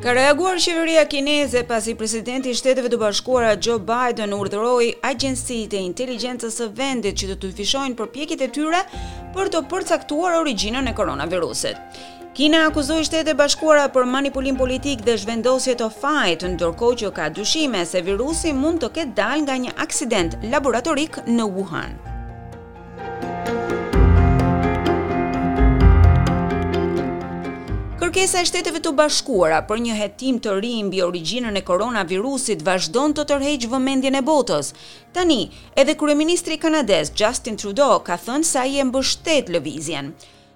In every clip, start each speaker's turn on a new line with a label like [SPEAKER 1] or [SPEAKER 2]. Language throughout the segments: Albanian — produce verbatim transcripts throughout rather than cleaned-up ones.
[SPEAKER 1] Ka reaguar qeveria kineze pasi presidenti i Shteteve të Bashkuara Joe Biden urdhëroi agjencitë e inteligjencës së vendit që të dyfishojnë përpjekjet e tyre për të përcaktuar origjinën e koronavirusit. Kina akuzoi Shtetet e Bashkuara për manipulim politik dhe zhvendosje të fajit, ndërkohë që ka dyshime se virusi mund të ketë dalë nga një aksident laboratorik në Wuhan. Kërkesa e Shteteve të Bashkuara për një hetim të ri mbi origjinën e koronavirusit vazhdon të tërheqë vëmendjen e botës. Tani, edhe kryeministri kanadez Justin Trudeau ka thënë se ai e mbështet lëvizjen.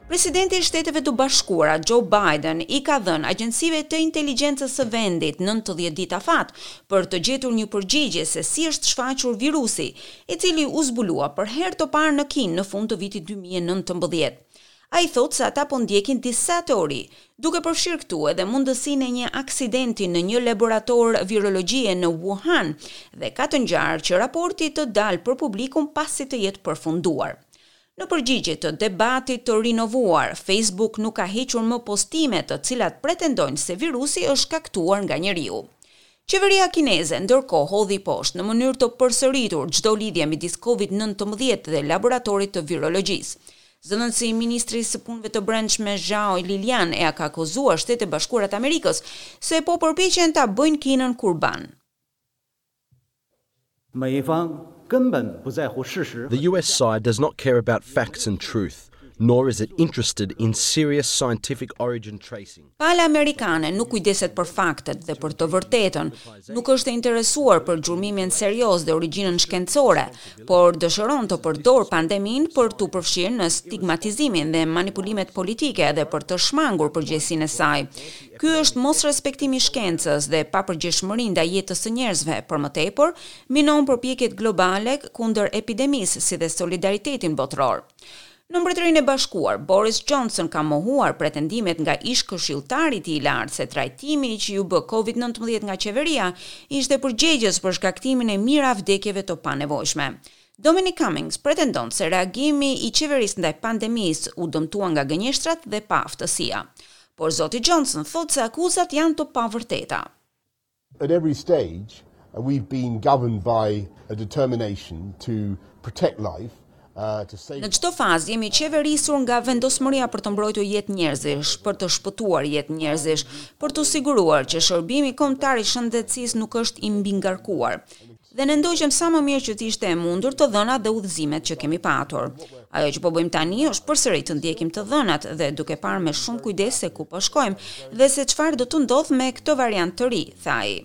[SPEAKER 1] Presidenti i Shteteve të Bashkuara Joe Biden i ka dhënë agjencive të inteligjencës së vendit nëntëdhjetë ditë afat për të gjetur një përgjigje se si është shfaqur virusi, i cili u zbulua për herë të parë në Kinë në fund të vitit dy mijë e nëntëmbëdhjetë. Ai thotë se ata po ndjekin disa teori, duke përfshirë këtu edhe mundësinë e një aksidenti në një laborator virologjie në Wuhan, dhe ka të ngjarë që raporti të dalë për publikun pasi të jetë përfunduar. Në përgjigje të debatit të rinovuar, Facebook nuk ka hequr më postime të cilat pretendojnë se virusi është shkaktuar nga njeriu. Qeveria kineze ndërkohë hodhi poshtë në mënyrë të përsëritur çdo lidhje midis Covid nëntëmbëdhjetë dhe laboratorit të virologjisë. Zëdhënësi i Ministrisë së Punëve të Brendshme Zhao Lilian e ka akuzuar Shtetet e Bashkuara të Amerikës se po përpiqen ta bëjnë Kinën kurban.
[SPEAKER 2] 美方根本不在乎事实。
[SPEAKER 3] The U S side does not care about facts and truth, nor is it interested in serious scientific origin tracing.
[SPEAKER 1] Pala amerikane nuk kujdeset për faktet dhe për të vërtetën, nuk është e interesuar për gjurmimin serioz dhe origjinën shkencore, por dëshiron të përdor pandeminë për të përfshirë në stigmatizimin dhe manipulimet politike dhe për të shmangur përgjegjësinë e saj. Ky është mosrespektimi i shkencës dhe papërgjegjshmëri ndaj jetës së njerëzve, për më tepër, minon përpjekjet globale kundër epidemisë si dhe solidaritetin botëror. Në Mbretërinë e Bashkuar, Boris Johnson ka mohuar pretendimet nga ish këshilltari i tij i lartë se trajtimi që iu bë Covid nëntëmbëdhjetë nga qeveria ishte përgjegjës për shkaktimin e mijëra vdekjeve të panevojshme. Dominic Cummings pretendon se reagimi i qeverisë ndaj pandemisë u dëmtua nga gënjeshtrat dhe paaftësia. Por zoti Johnson thotë se akuzat janë të pavërteta.
[SPEAKER 4] At every stage, uh, we've been governed by a determination to protect life, uh, to save
[SPEAKER 1] Në çdo fazë jemi qeverisur nga vendosmëria për të mbrojtur jetë njerëzish, për të shpëtuar jetë njerëzish, për të siguruar që shërbimi kombëtar i shëndetësisë nuk është i mbingarkuar. Dhe ne ndoqëm sa më mirë që të ishte e mundur të dhënat dhe udhëzimet që kemi patur. Ajo që po bëjmë tani është përsëri të ndjekim të dhënat dhe duke parë me shumë kujdes se ku po shkojmë dhe se çfarë do të ndodhë me këtë variant të ri, tha ai.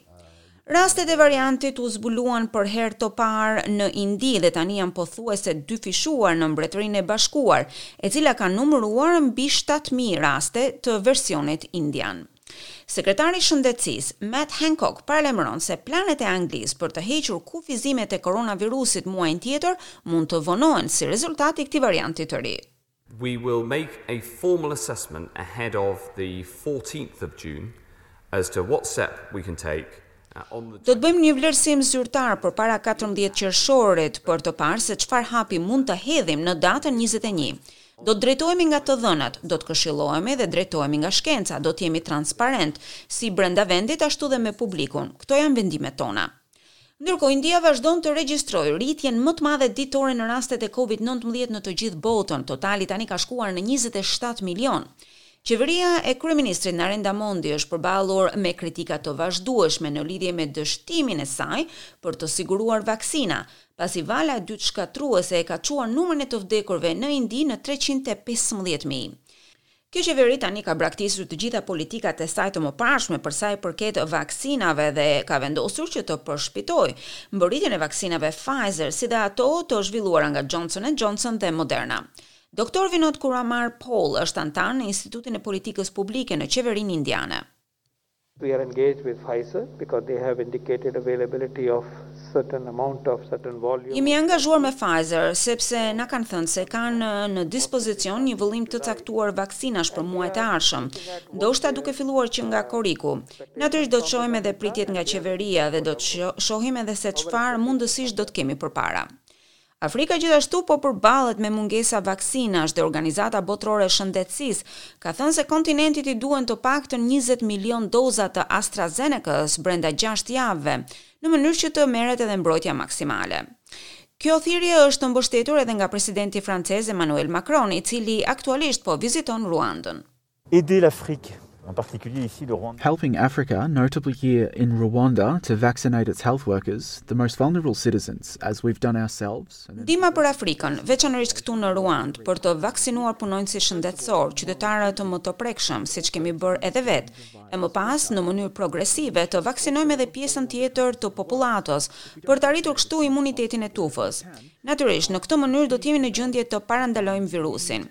[SPEAKER 1] Rastet e variantit u zbuluan për herë të parë në Indi dhe tani janë pothuajse dyfishuar në Mbretërinë e Bashkuar, e cila ka numëruar mbi shtatë mijë raste të versionit indian. Sekretari i Shëndetësisë Matt Hancock paralajmëron se planet e Anglisë për të hequr kufizimet e koronavirusit muajin tjetër mund të vonohen si rezultat i këtij varianti të ri.
[SPEAKER 5] We will make a formal assessment ahead of the fourteenth of June as to what step we can take uh, on the
[SPEAKER 1] Do të bëjmë një vlerësim zyrtar për para katërmbëdhjetë qershorit për të parë se çfarë hapi mund të hedhim në datën njëzet e një. Do të drejtohemi nga të dhënat, do të këshillohemi dhe drejtohemi nga shkenca, do të jemi transparent, si brenda vendit ashtu dhe me publikun. Këto janë vendimet tona. Ndërkohë, India vazhdon të regjistrojë rritjen më të madhe ditore në rastet e Covid nëntëmbëdhjetë në të gjithë botën. Totali tani ka shkuar në njëzet e shtatë milion. Qeveria e kryeministrit Narendra Modi është përballur me kritika të vazhdueshme në lidhje me dështimin e saj për të siguruar vaksina, pasi vala e dytë shkatërruese e ka çuar numrin e të vdekurve në Indi në treqind e pesëmbëdhjetë mijë. Kjo qeveri tani ka braktisur të gjitha politikat e saj të mëparshme për sa i përket vaksinave dhe ka vendosur që të përshpejtojë mbërritjen e vaksinave Pfizer si dhe ato të zhvilluara nga Johnson and Johnson dhe Moderna. Doktor Vinod Kumar Paul është antar në Institutin e Politikës Publike në qeverinë indiane.
[SPEAKER 6] We are engaged with Pfizer because they have indicated availability of certain amount of certain volume.
[SPEAKER 1] Jemi angazhuar me Pfizer sepse na kanë thënë se kanë në dispozicion një vëllim të caktuar vaksinash për muajt e ardhshëm, ndoshta duke filluar që nga korriku. Natyrisht do të shohim edhe pritjet nga qeveria dhe do të shohim edhe se çfarë mundësish do të kemi përpara. Afrika gjithashtu po përballet me mungesa vaksinash dhe Organizata Botërore e Shëndetësisë ka thënë se kontinentit i duhen të paktën njëzet milion doza të AstraZeneca-s brenda gjashtë javëve, në mënyrë që të merret edhe mbrojtja maksimale. Kjo thirrje është mbështetur edhe nga presidenti francez Emmanuel Macron, i cili aktualisht po viziton Ruandën.
[SPEAKER 7] Aider l'Afrique, en particulier ici le Rwanda.
[SPEAKER 8] Helping Africa, notably here in Rwanda, to vaccinate its health workers, the most vulnerable citizens, as we've done ourselves.
[SPEAKER 1] Ndihma për Afrikën, veçanërisht këtu në Ruand, për të vaksinuar punonjësit shëndetësor, qytetarët më të prekshëm, siç kemi bërë edhe vetë, e më pas në mënyrë progresive të vaksinojmë edhe pjesën tjetër të popullatës për të arritur kështu imunitetin e tufës. Natyrisht, në këtë mënyrë do të jemi në gjendje të parandalojmë virusin.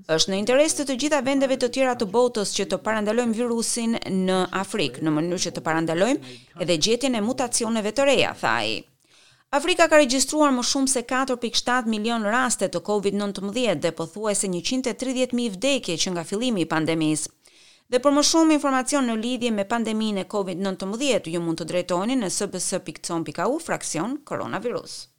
[SPEAKER 1] Është në interes të të gjitha vendeve të tjera të botës që të parandalojmë virusin në Afrikë, në mënyrë që të parandalojmë edhe gjetjen e mutacioneve të reja, tha ai. Afrika ka regjistruar më shumë se katër pikë shtatë milion raste të Covid nëntëmbëdhjetë dhe pothuajse njëqind e tridhjetë mijë vdekje që nga fillimi i pandemisë. Dhe për më shumë informacion në lidhje me pandeminë e Covid nëntëmbëdhjetë, ju mund të drejtoheni në s b s pikë com pikë a u fraksion koronavirus.